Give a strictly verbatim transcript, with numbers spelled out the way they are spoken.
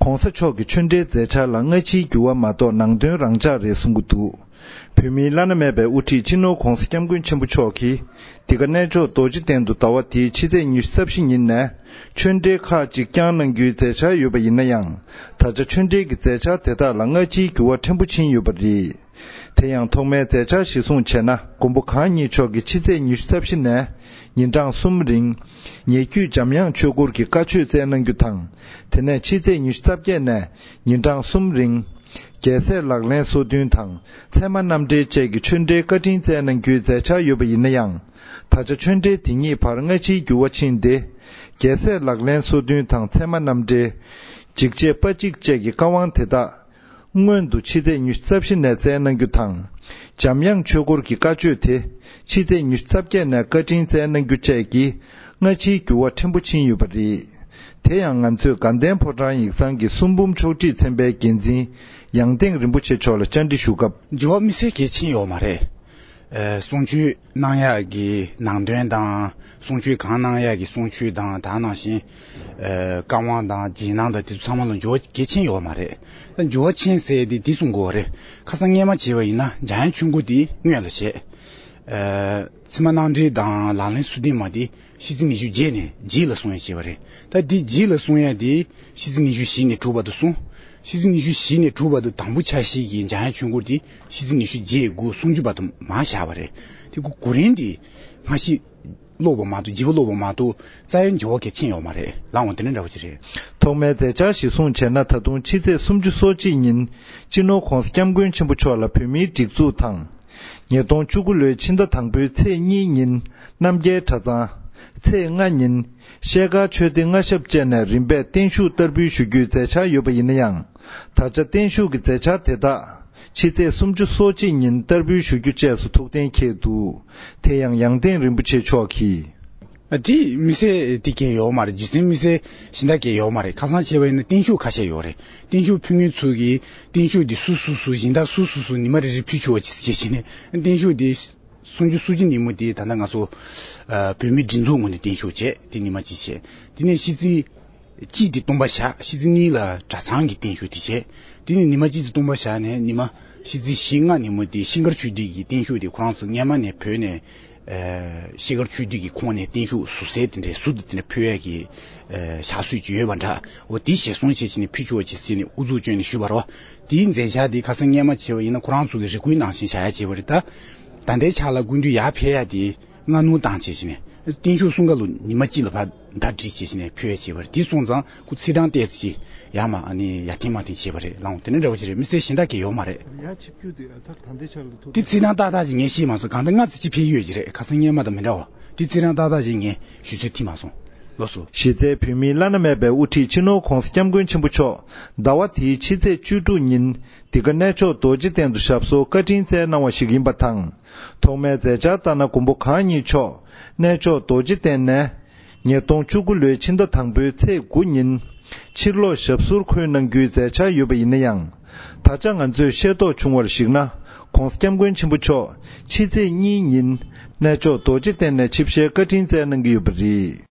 ༸གོང་ས་མཆོག་གི་ཆོས་འབྲེལ་མཛད་འཆར་ལ་སྔ་ཕྱིའི་འགྱུར་བ་མ་གཏོགས་ནང་དོན་རང་འཇགས་རེད་གསུང་གི་འདུག་བོད་མིའི་བླ་ན་མེད་པའི་དབུ་ཁྲིད་སྤྱི་ནོར་༸གོང་ས་༸སྐྱབས་མགོན་ཆེན་པོ་མཆོག་གིས་འདི་ག་གནས་མཆོག་རྡོ་རྗེ་གདན་དུ་ཟླ་བ་འདིའི་ཕྱི་ཚེས་ཉི་ཤུ་རྩ་བཞི་ཉིན་ནས་ཆོས་འབྲེལ་ཁག་ཅིག་བསྐྱངས་གནང་རྒྱུའི་མཛད་འཆར་ཡོད་པ་ཡིན་ན་ཡང་། ད་ཆ་ཆོས་འབྲེལ་གྱི་མཛད་འཆར་དེ་དག་ལ་སྔ་ཕྱིའི་འགྱུར་བ་ཕྲན་བུ་ཕྱིན་ཡོད་པ་རེད། དེ་ཡང་ཐོག་མའི་མཛད་འཆར་གཞིར་བཟུང་བྱས་ན། མགོན་པོ་གང་ཉིད་མཆོག་གིས་ཕྱི་ཚེས་ཉི་ཤུ་རྩ་བཞི་ནས་ཉིན་གྲངས་གསུམ་རིང་། ཉེ་བརྒྱུད་འཇམ་དབྱངས་ཆོས་སྐོར་གྱི་བཀའ་ཆོས་སྩལ་གནང་རྒྱུ་དང་། དེ་ནས་ཕྱི་ཚེས་ཉི་ཤུ་རྩ་བརྒྱད་ནས་ཉིན་གྲངས་གསུམ་རིང་། རྒྱལ་སྲས་ལག་ལེན་སོ་བདུན་དང་ཚད་མ་རྣམ་འགྲེལ་བཅས་ཀྱི་ཆོས་འབྲེལ་བཀའ་དྲིན་སྩལ་གནང་རྒྱུའི་མཛད་འཆར་ཡོད་པ་ཡིན་ན་ཡང་། ད་ཆ་ཆོས་འབྲེལ་དེ་ཉིད་བར་སྔ་ཕྱིའི་འགྱུར་བ་ཕྱིན་ཏེ། རྒྱལ་སྲས་ལག་ལེན་སོ་བདུན་དང་ཚད་མ་རྣམ་འགྲེལ། འཇིགས་བྱེད་དཔའ་གཅིག་བཅས་ཀྱི་བཀའ་དབང་དེ་དག་སྔོན་དུ་ཕྱི་ཚེས་ཉི་ཤུ་རྩ་བཞི་ནས་སྩལ་གནང་རྒྱུ་དང་། འཇམ་དབྱངས་ཆོས་སྐོར་གྱི་བཀའ་ཆོས་དེ་ཕྱི་ཚེས་ཉི་ཤུ་རྩ་བརྒྱད་ནས་བཀའ་དྲིན་སྩལ་གནང་རྒྱུ་བཅས་ཀྱིས་སྔ་ཕྱིའི་འགྱུར་བ་ཕྲན་བུ་ཕྱིན་ཡོད་པ་རེད། དེ་ཡང་ང་ཚོས་དགའ་ལྡན་ཕོ་བྲང་ཡིག་ཚང་གི་གསུང་འབུམ་ཕྱོགས་སྒྲིག་ཚན་པའི་འགན་འཛིན་ཡང་སྟེང་རིན་པོ་ཆེ་མཆོག་ལ་བཅར་འདྲི་ཞུ་སྐབས། འགྱུར་བ་དམིགས་བསལ་གལ་ཆེན་ཡོད་མ་རེད། ཨ། གསུང་ཆོས་གནང་ཡག་གི་ནང་དོན་དང་གསུང་ཆོས་གང་གནང་ཡག་གི་གསུང་ཆོས་དང་དེ་ནང་བཞིན། ཨ། བཀའ་དབང་དང་རྗེས་གནང་དང་དེ་ཚོ་ཚང་མ་ལ་འགྱུར་བ་གལ་ཆེན་ཡོད་མ་རེད། ད་འགྱུར་བ་ཕྱིན་ཟེར་དེ་འདི་གསུང་དགོས་པ་རེད། ཁ་སང་སྔས་མ་བྱས་པ་ཡིན་ན་འཇམ་དབྱངས་ཆོས་འཁོར་དེ་སྔོན་ལ་བྱས། ཨ། ཚད་མ་རྣམ་འགྲེལ་དང་ལག་ལེན་སོ་བདུན་མ་དེ་ཕྱི་ཚེས་ཉི་ཤུ་རྗེས་ནས་རྗེས་ལ་གསུང་ཡ་བྱས་པ་རེད། ད་འདི་རྗེས་ལ་གསུང་ཡ་དེ་ཕྱི་ཚེས་ཉི་ཤུ་བཞི་ནས་དྲུག་བར་དུ་གསུང་། ཕྱི་ཚེས་ཉི་ཤུ་བཞི་ནས་དྲུག་བར་དུ་དང་པོ་ཆ་ཤས་ཀྱི་འཇམ་དབྱངས་ཆོས་འཁོར་དེ་ཕྱི་ཚེས་ཉི་ཤུ་རྗེས་དགུ་སུམ་ཅུ་བར་དུ་མར་བཞག་པ་རེད། དེ་གུ་གུ་རིང་དེ་སྔ་ཕྱི་ཀློག་པ་མ་གཏོགས་བརྗེ་པོ་ཀློག་པ་མ་གཏོགས་རྩ་བའི་འགྱུར་བ་གལ་ཆེན་ཡོད་མ་རེད། ལགས་འོང་། དེ་འདྲ་འདྲ་བོ་ཅིག་རེད། ཐོག་མའི་མཛད་འཆར་གཞིར་བཟུང་བྱས་ན། ད་དུང་ཕྱི་ཚེས་སུམ་ཅུ་སོ་གཅིག་ཉིན་སྤྱི་ནོར་༸གོང་ས་༸སྐྱབས་མགོན་ཆེན་པོ་མཆོག་ལ་བོད་མིའི་སྒྲིག་འཛུགས་དང་། ཉིས་སྟོང་བཅུ་དགུ་ལོའི་ཕྱི་ཟླ་དང་པོའི་ཚེས་གཉིས་ཉིན་རྣམ་རྒྱལ་གྲྭ་ཚང་། ཚེས་ལྔ་ཉིན་ཤེལ་དཀར་ཆོས་སྡེ་མངའ་ཞབས་བཅས་ནས་རིམ་པས་བརྟན་བཞུགས་བསྟར་འབུལ་ཞུ་རྒྱུའི་མཛད་འཆར་ཡོད་པ་ཡིན་ན་ཡང་། ད་ཆ་བརྟན་བཞུགས་ཀྱི་མཛད་འཆར་དེ་དག་ཕྱི་ཚེས་སུམ་ཅུ་སོ་གཅིག་ཉིན་བསྟར་འབུལ་ཞུ་རྒྱུ་བཅས་སུ་ཐུགས་གཏན་འཁེལ་འདུག་དེ་ཡང་ཡང་སྟེང་རིན་པོ་ཆེ་མཆོག་གིས། ཨ། དེ་དམིགས་བསལ་དེ་གས་ཡོད་མ་རེད། རྒྱུ་མཚན་དམིགས་བསལ་གཞན་དག་གས་ཡོད་མ་རེད། ཁ་སང་བྱས་པ་ཡིན་ན་བརྟན་བཞུགས་ཁ་ཤས་ཡོད་རེད། བརྟན་བཞུགས་ཕུལ་མཁན་ཚོ་གིས་བརྟན་བཞུགས་དེ་སུ་སུ་སུ་སྦྱིན་བདག་སུ་སུ་སུ་ཉི་མ་རེ་རེ་ཕུལ་ཆོག་ཅེས་བྱས་ནས་བརྟན་བཞུགས་དེ་སུམ་ཅུ་སོ་གཅིག་ཉིན་མོ་དེ་ད་ལྟ་ང་ཚོ་ཨ་བོད་མིའི་སྒྲིག་འཛུགས་ངོས་ནས་བརྟན་བཞུགས་བྱས། དེ་ཉི་མ་གཅིག་བྱས། དེ་ནས་ཕྱི་ཚེས་གཅིག་དེ་སྟོན་པ་ཞག་ཕྱི་ཚེས་གཉིས་ལ་གྲྭ་ཚང་གི་བརྟན་བཞུགས་དེ་བྱས། དེ་ནས་ཉི་མ་གཅིག་དེ་སྟོན་པ་ཞག་ནས་ཉི་མ་ཕྱི་ཚེས་བཞི་ལྔ་ཉིན་མོ་དེ་ཤིང་མཁར་ཆོས་སྡེ་གི་བརྟན་བཞུགས་དེ་ཁོ་རང་ཚོ་སྔས་མ་ནས་བོད་ནས་ཨ་ཤེལ་དཀར་ཆོས་སྡེ་གི་ཁོངས་ནས་བརྟན་བཞུགས་ཟུར་གསལ་དེ་འདྲའི་ཟུར་དུ་དེ་འདྲ་ཕུལ་ཡས་ཀྱི་ཨ་ཕྱག་སྲོལ་ཅིག་ཡོད་པ་འདྲ། འོ་དེ་ཞལ་གསུང་བྱས་བྱས་ནས་ཕུལ་ཆོག་ཅེས་ཟེར་ནས་ཨུ་ཚུགས་བསྐྱོན་ནས་ཞུས་པ་རེད་བ། དེའི་མཛད་འཆར་དེ་ཁ་སང་སྔས་མ་བྱས་པ་ཡིན་ན་ཁོ་རང་ཚོ་གི་རེ་སྐུལ་ནང་བཞིན་བྱ་ཡ་བྱས་པ་རེད། ད་ད་ལྟའི་ཆ་ལ་སྐུ་མདུན་ཡར་ཕེབས་ཡ་དེ་སྔ་སྣུར་བཏང་བྱས་བྱས་ནས་བརྟན་བཞུགས་གསུང་སྐབས་ལ་ཉི་མ་གཅིག་ལ་ཕར་ཟླ་སྒྲིལ་བྱས་བྱས་ནས་ཕུལ་ཡ་བྱས་པ་རེད། དེ་སོང་ཙང་ཁོ་ཚེས་གྲངས་བལྟས་ཚེ་ཡར་མར་ཨ་ནི་ཡར་འཐེན་མར་འཐེན་བྱས་པ་རེད། ལགས་འོང་། དེ་འདྲ་འདྲ་བོ་ཅིག་རེད། དམིགས་བསལ་གཞན་དག་གས་ཡོད་མ་རེད། ཡར་ཆིབས་བསྒྱུར་དེ་ཨ་ད་ད་ལྟའི་ཆར་ལ་ཐུག་དེ་ཚེས་གྲངས་ཏག་ཏག་ཅིག་ངས་ཤེས་མ་སོང་། གང་ལྟར་སྔ་ཙམ་ཅིག་ཕེབས་ཡོད་ཀྱི་རེད། ཁ་སང་སྔས་མ་དང་མི་འདྲ་བ། དེ་ཚེས་གྲངས་ཏག་ཏག་ཅིག་ངས་ཞུ་ཚོད་ཐིག་མ་སོང་། ལགས་སོ། གཞི་རྩའི་བོད་མིའི་བླ་ན་མེད་པའི་དབུ་ཁྲིད་སྤྱི་ནོར་༸གོང་ས་༸སྐྱབས་མགོན་ཆེན་པོ་མཆོག་ཟླ་བ་དེའི་ཕྱི་ཚེས་བཅུ་དྲུག་ཉིན་འདི་ག་གནས་མཆོག་རྡོ་རྗེ་གདན་དུ་ཞབས་སོར་བཀའ་དྲིན་སྩལ་གནང་བ་ཞིག་ཡིན་པ་དང་། ཐོག་མའི་མཛད་འཆར་ལྟར་ན་མགོན་པོ་གང་ཉིད་མཆོག་གནས་མཆོག་རྡོ་རྗེ་གདན་ནས་ཉིས་སྟོང་བཅུ་དགུ་ལོའི་ཕྱི་ཟླ་དང་པོའི་ཚེས་དགུ་ཉིན་ཕྱིར་ལོག་ཞབས་སོར་འཁོད་གནང་རྒྱུའི་མཛད་འཆར་ཡོད་པ་ཡིན་ན་ཡང་། ད་ཆ་ང་ཚོས་ཤེས་རྟོགས་བྱུང་བར་གཞིགས་ན། ༸གོང་ས་༸སྐྱབས་མགོན་ཆེན་པོ་མཆོག་ཕྱི་ཚེས་གཉིས་ཉིན་གནས་མཆོག་རྡོ་རྗེ་གདན་ནས་ཆིབས་ཞལ་བཀའ་དྲིན་སྩལ་གནང་གི་ཡོད་པ་རེད།